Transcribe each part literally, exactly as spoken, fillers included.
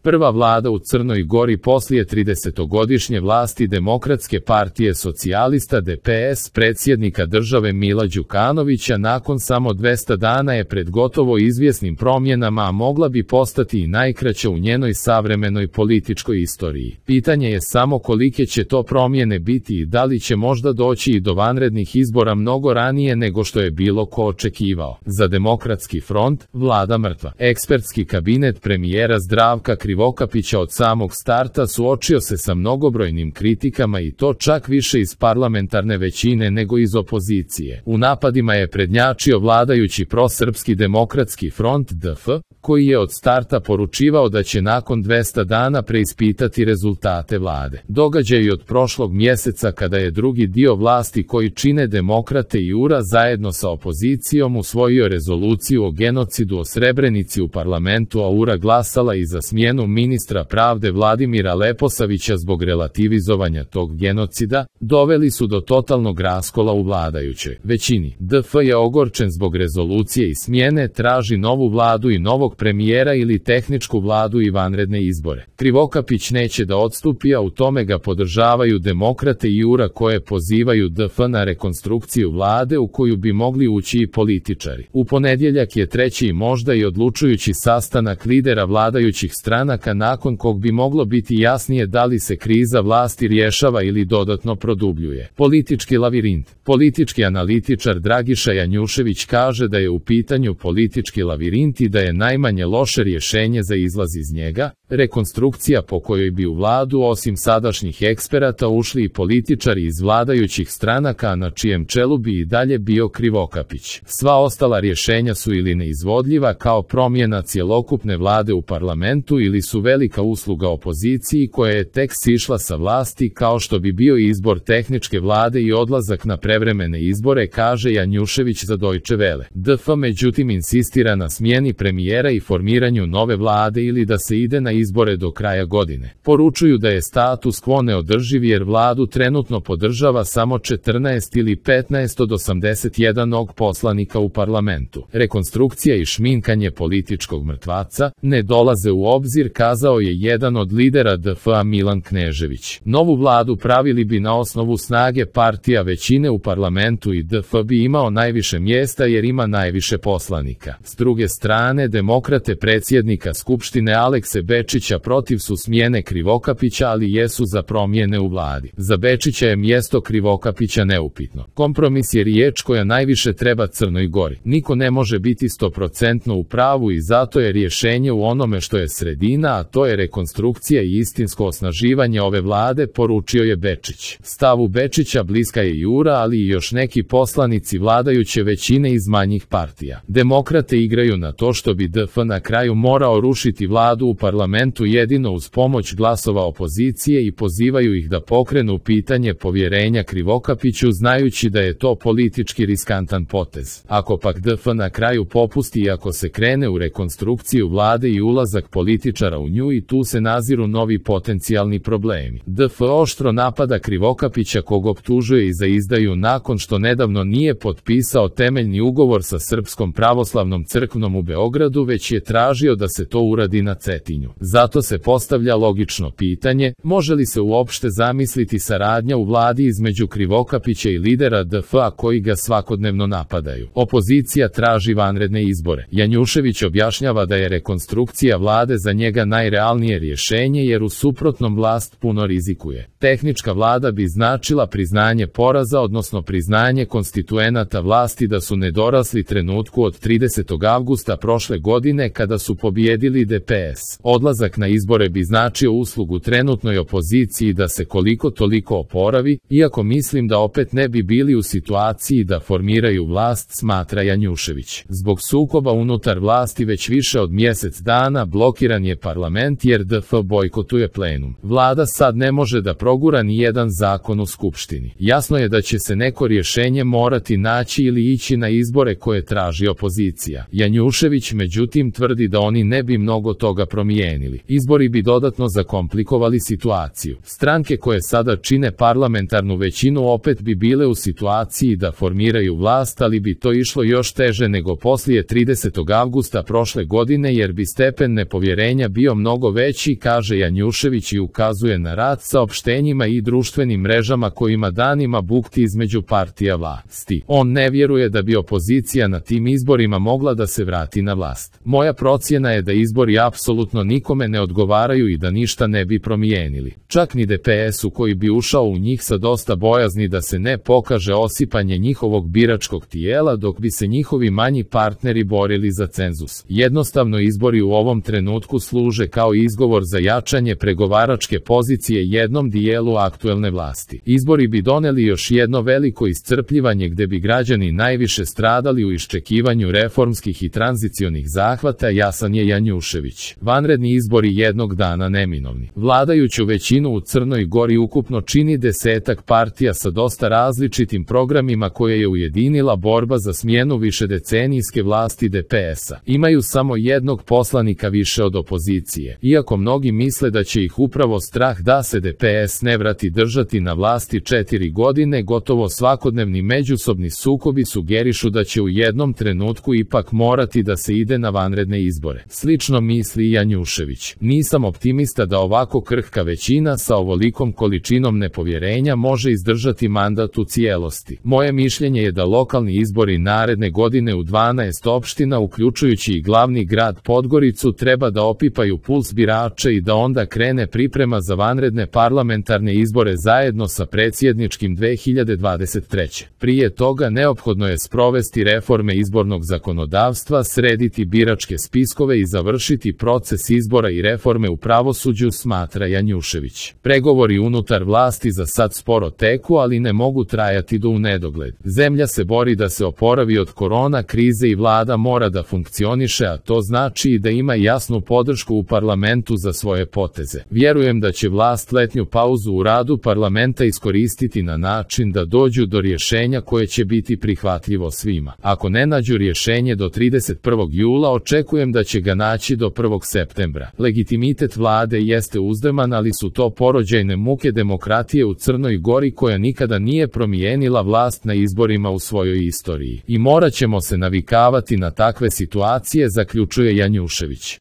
Prva vlada u Crnoj Gori poslije tridesetogodišnje vlasti Demokratske partije socijalista D P S predsjednika države Mila Đukanovića nakon samo dvesta dana je pred gotovo izvjesnim promjenama, a mogla bi postati i najkraća u njenoj savremenoj političkoj istoriji. Pitanje je samo kolike će to promjene biti i da li će možda doći i do vanrednih izbora mnogo ranije nego što je bilo ko očekivao. Za Demokratski front, vlada mrtva. Ekspertski kabinet premijera Zdravka Krivokapića od samog starta suočio se sa mnogobrojnim kritikama i to čak više iz parlamentarne većine nego iz opozicije. U napadima je prednjačio vladajući prosrpski Demokratski front D F, koji je od starta poručivao da će nakon dvesta dana preispitati rezultate vlade. Događaji od prošlog mjeseca kada je drugi dio vlasti koji čine Demokrate i U R A zajedno sa opozicijom usvojio rezoluciju o genocidu o Srebrenici u parlamentu, a U R A glasala i za smjenu ministra pravde Vladimira Leposavića zbog relativizovanja tog genocida, doveli su do totalnog raskola u vladajućoj većini. D F je ogorčen zbog rezolucije i smjene, traži novu vladu i novog premijera ili tehničku vladu i vanredne izbore. Krivokapić neće da odstupi, a u tome ga podržavaju Demokrate i U R A koje pozivaju D F na rekonstrukciju vlade u koju bi mogli ući i političari. U ponedjeljak je treći i možda i odlučujući sastanak lidera vladajućih stranaka nakon kog bi moglo biti jasnije da li se kriza vlasti rješava ili dodatno produbljuje. Politički lavirint. Politički analitičar Dragiša Janjušević kaže da je u pitanju politički lavirint i da je najmanje loše rješenje za izlaz iz njega rekonstrukcija po kojoj bi u vladu osim sadašnjih eksperata ušli i političari iz vladajućih stranaka, na čijem čelu bi i dalje bio Krivokapić. Sva ostala rješenja su ili neizvodljiva kao promjena cjelokupne vlade u parlamentu ili su velika usluga opoziciji koja je tek sišla sa vlasti, kao što bi bio izbor tehničke vlade i odlazak na prevremene izbore, kaže Janjušević za Deutsche Welle. D F međutim insistira na smjeni premijera i formiranju nove vlade ili da se ide na izbore do kraja godine. Poručuju da je status quo neodrživ jer vladu trenutno podržava samo četrnaest ili petnaest od osamdeset jedan poslanika u parlamentu. Rekonstrukcija i šminkanje političkog mrtvaca ne dolaze u obzir, kazao je jedan od lidera D F-a Milan Knežević. Novu vladu pravili bi na osnovu snage partija većine u parlamentu i D F bi imao najviše mjesta jer ima najviše poslanika. S druge strane, Demokrate predsjednika Skupštine Alekse Bečića protiv su smjene Krivokapića, ali jesu za promjene u vladi. Za Bečića je mjesto Krivokapića neupitno. Kompromis je riječ koja najviše treba Crnoj Gori. Niko ne može biti stoprocentno u pravu i zato je rješenje u onome što je sredina, a to je rekonstrukcija i istinsko osnaživanje ove vlade, poručio je Bečić. Stavu Bečića bliska je i U R A, ali i još neki poslanici vladajuće većine iz manjih partija. Demokrate igraju na to što bi D F na kraju morao rušiti vladu u parlamentu jedino uz pomoć glasova opozicije i pozivaju ih da pokrenu pitanje povjerenja Krivokapiću, znajući da je to politički riskantan potez. Ako pak D F na kraju popusti i ako se krene u rekonstrukciju vlade i ulazak političara u nju, i tu se naziru novi potencijalni problemi. D F oštro napada Krivokapića kog optužuje i za izdaju nakon što nedavno nije potpisao temeljni ugovor sa Srpskom pravoslavnom crkvom u Beogradu, već je tražio da se to uradi na Cetinju. Zato se postavlja logično pitanje, može li se uopšte zamisliti saradnja u vladi između Krivokapića i lidera D F-a koji ga svakodnevno napadaju. Opozicija traži vanredne izbore. Janjušević objašnjava da je rekonstrukcija vlade za njega najrealnije rješenje jer u suprotnom vlast puno rizikuje. Tehnička vlada bi značila priznanje poraza, odnosno priznanje konstituenata vlasti da su nedorasli trenutku od tridesetog avgusta prošle godine kada su pobijedili D P S. Odlazak na izbore bi značio uslugu trenutnoj opoziciji da se koliko toliko oporavi, iako mislim da opet ne bi bili u situaciji da formiraju vlast, smatra Janjušević. Zbog sukoba unutar vlasti već više od mjesec dana blokiran je parlament jer D F bojkotuje plenum. Vlada sad ne može da progura ni jedan zakon u Skupštini. Jasno je da će se neko rješenje morati naći ili ići na izbore koje traži opozicija. Janjušević međutim tvrdi da oni ne bi mnogo toga promijenili. Izbori bi dodatno zakomplikovali situaciju. Stranke koje sada čine parlamentarnu većinu opet bi bile u situaciji da formiraju vlast, ali bi to išlo još teže nego poslije tridesetog avgusta prošle godine jer bi stepen nepovjerenja bio bio mnogo veći, kaže Janjušević i ukazuje na rad saopštenjima i društvenim mrežama kojima danima bukti između partija vlasti. On ne vjeruje da bi opozicija na tim izborima mogla da se vrati na vlast. Moja procjena je da izbori apsolutno nikome ne odgovaraju i da ništa ne bi promijenili. Čak ni D P S-u koji bi ušao u njih sa dosta bojazni da se ne pokaže osipanje njihovog biračkog tijela dok bi se njihovi manji partneri borili za cenzus. Jednostavno izbori u ovom trenutku služe kao izgovor za jačanje pregovaračke pozicije jednom dijelu aktuelne vlasti. Izbori bi doneli još jedno veliko iscrpljivanje gde bi građani najviše stradali u iščekivanju reformskih i tranzicionih zahvata, jasan je Janjušević. Vanredni izbori jednog dana neminovni. Vladajuću većinu u Crnoj Gori ukupno čini desetak partija sa dosta različitim programima koje je ujedinila borba za smjenu višedecenijske vlasti D P S-a. Imaju samo jednog poslanika više od opozicije. Iako mnogi misle da će ih upravo strah da se D P S ne vrati držati na vlasti četiri godine, gotovo svakodnevni međusobni sukobi sugerišu da će u jednom trenutku ipak morati da se ide na vanredne izbore. Slično misli i Janjušević. Nisam optimista da ovako krhka većina sa ovolikom količinom nepovjerenja može izdržati mandat u cijelosti. Moje mišljenje je da lokalni izbori naredne godine u dvanaest opština, uključujući i glavni grad Podgoricu, treba da opipaju puls birača i da onda krene priprema za vanredne parlamentarne izbore zajedno sa predsjedničkim dve hiljade dvadeset treće. Prije toga neophodno je sprovesti reforme izbornog zakonodavstva, srediti biračke spiskove i završiti proces izbora i reforme u pravosuđu, smatra Janjušević. Pregovori unutar vlasti za sad sporo teku, ali ne mogu trajati do u nedogled. Zemlja se bori da se oporavi od korona krize i vlada mora da funkcioniše, a to znači i da ima jasnu podršku u parlamentu za svoje poteze. Vjerujem da će vlast letnju pauzu u radu parlamenta iskoristiti na način da dođu do rješenja koje će biti prihvatljivo svima. Ako ne nađu rješenje do trideset prvog jula, očekujem da će ga naći do prvog septembra. Legitimitet vlade jeste uzdeman, ali su to porođajne muke demokratije u Crnoj Gori koja nikada nije promijenila vlast na izborima u svojoj istoriji. I morat ćemo se navikavati na takve situacije, zaključuje Janjušević.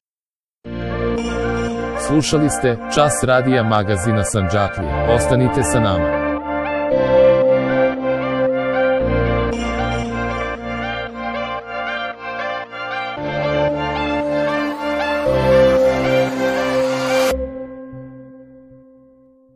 Slušali ste Čas radija magazina Sandžaklija. Ostanite sa nama.